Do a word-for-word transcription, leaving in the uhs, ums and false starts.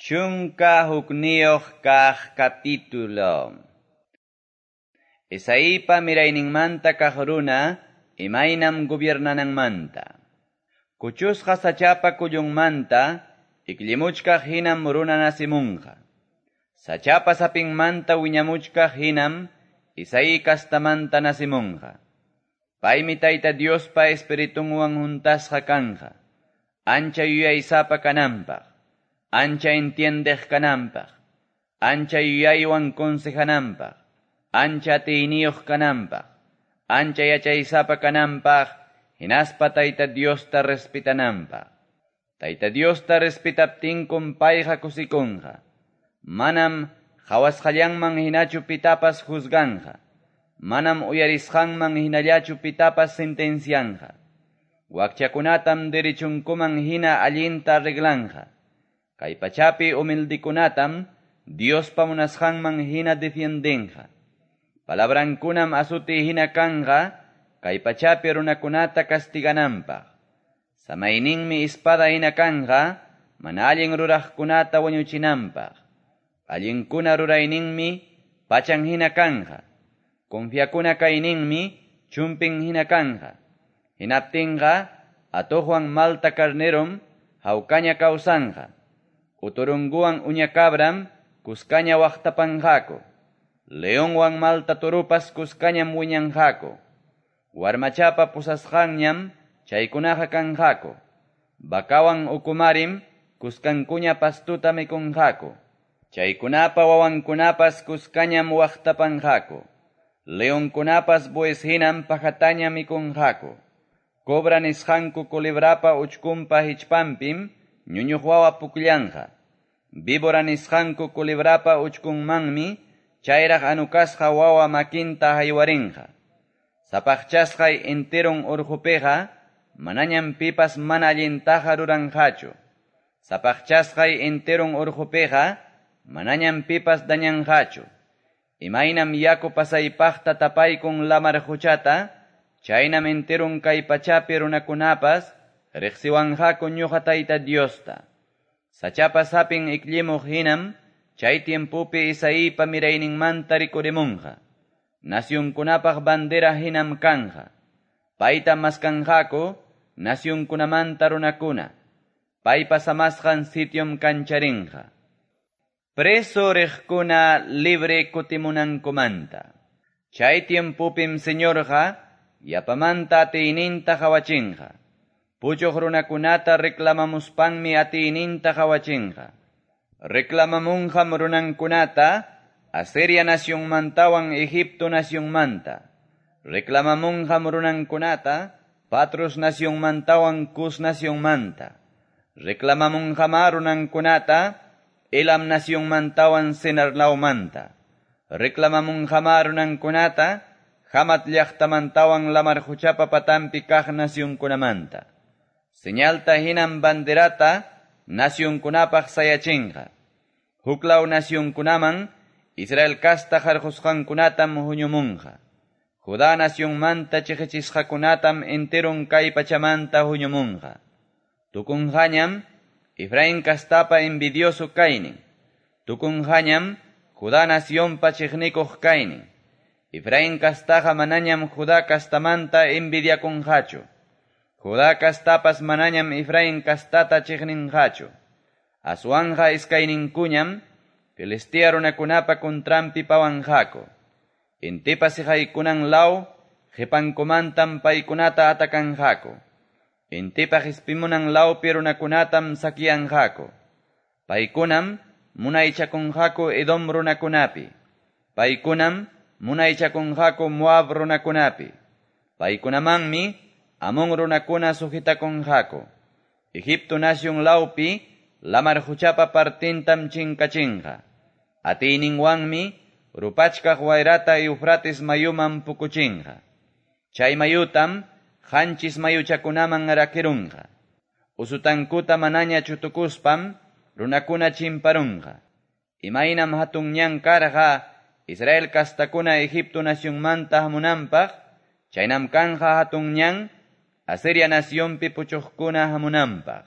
Chunka hukniyuq kaq capítulo. Isaipa mirayninmanta kaq runa imaynam gobiernananmanta. Kuchusqa sachapa kullunmanta ikllimuchkaq hinam runa nasimunqa. Sachapa sapinmanta wiñamuchkaq hinam Isaí kastamanta nasimunqa. Paymi Tayta Diospa espiritunwan huntasqa kanqa. Ancha yuyaysapa kananpaq. Ancha entiendeq kananpaq, ancha yuyaywan consejananpaq, ancha atiyniyuq kananpaq, ancha yachaysapa kananpaq, hinaspa Tayta Diosta respetananpaq. Tayta Diosta respetaptinkum payqa kusikunqa. Manam qhawasqallanman hinachu pitapas juzganqa. Manam uyarisqanman hinallachu pitapas sentencianqa. Wakchakunatam derechunkuman hina allinta arreglanqa. Kay pachapi humildikunatam Diospa munasqanman hina defiendenqa. Palabrankunam asuti hina kanqa kay pachapi runakunata castigananpaq. Samayninmi espada hina kanqa mana allin ruraqkunata wañuchinanpaq. Allinkuna rurayninmi pachan hina kanqa. Confiakuna kayninmi chumpin hina kanqa. Hinaptinqa atuqwan malta carnerom hawkaña kawsanqa. Uturunguwan uña cabram kuskaña waqtapanqaku. Leonwan malta turupas kuskañam wiñanqaku. Warmachapa pusasqanñam chaykunaqa kanqaku. Bakawan ukumarim kuskankuña pastuta mikunqaku. Chaykunapa wawankunapas kuskañam waqtapanqaku. Leonkunapas bues hinam pajataña mikunqaku. Cobra nisqanku culebrapa uchkunpa hichpanpim ñuñuq wawa pukllanqa. Víbora nisqanku culebrapa uchkunmanmi chayraq anukasqa wawa makinta haywarinqa. Sapaqchasqay enteron urqupiqa manañam pipas mana allintaqa ruranqachu. Sapaqchasqay enteron urqupiqa manañam pipas dañanqachu. Imaynam yaku pasaypaqta tapaykun lamar quchata, chaynam enteron kay pachapi runakunapas riqsiwanqaku ñuqa Tayta Diosta. Sachapa sapin ikllimuq hinam chay tiempopi Isaipa mirayninmanta rikurimunqa. Nacionkunapaq bandera hinam kanqa. Payta maskanqaku nacionkunamanta runakuna. Paypa samasqan sitiom kancharinqa. Preso riqkuna libre kutimunankumanta. Chay tiempopim Señorqa yapamanta atiyninta qawachinqa. Puchuq runakunata reclamamuspanmi atiyninta qawachinqa. Reclamamunqam runankunata Asiria nacionmantawan Egipto nacionmanta. Reclamamunqam runankunata Patros nacionmantawan Cus nacionmanta. Reclamamunqama runankunata Elam nacionmantawan Senar lawmanta. Reclamamunqama runankunata Hamat llaqtamantawan lamar quchapa patanpi kaq nacionkunamanta. Señalta hinam banderata nacionkunapaq sayachinqa. Huklaw nacionkunaman Israel kasta qarqusqankunatam huñumunqa. Judá nacionmanta chiqichisqakunatam enteron kay pachamanta huñumunqa. Tukunqañam Efraín kastapa envidioso kaynin. Tukunqañam Judá nacionpa chiqnikuq kaynin. Efraín kastaqa manañam Judá kastamanta envidiakunqachu. Judá kastapas manañam Efraín kastata chiqninqachu. Aswanqa iskayninkuñam Filistea runakunapa kuntranpi pawanqaku. Intipa siqaykunan law qipankumantam paykunata atakanqaku. Intipa qispimunan lawpi runakunatam sakianqaku. Paykunam munaychakunqaku Edom runakunapi. Paykunam munaychakunqaku Moab runakunapi. Paykunamanmi Amón runakuna sujetakunqaku. Egipto nación lawpi lamar quchapa partintam chinkachinqa. Atiyninwanmi rupachkaq wayrata Eufrates mayuman pukuchinqa. Chay mayutam qanchis mayuchakunaman rakirunqa. Usutankuta manaña chutukuspam runakuna chimparunqa. Imaynam hatun ñan karqa Israel kastakuna Egipto nacionmanta hamunanpaq, chaynam kanja hatun ñan Asiria nacionpi puchuqkuna hamunanpaq.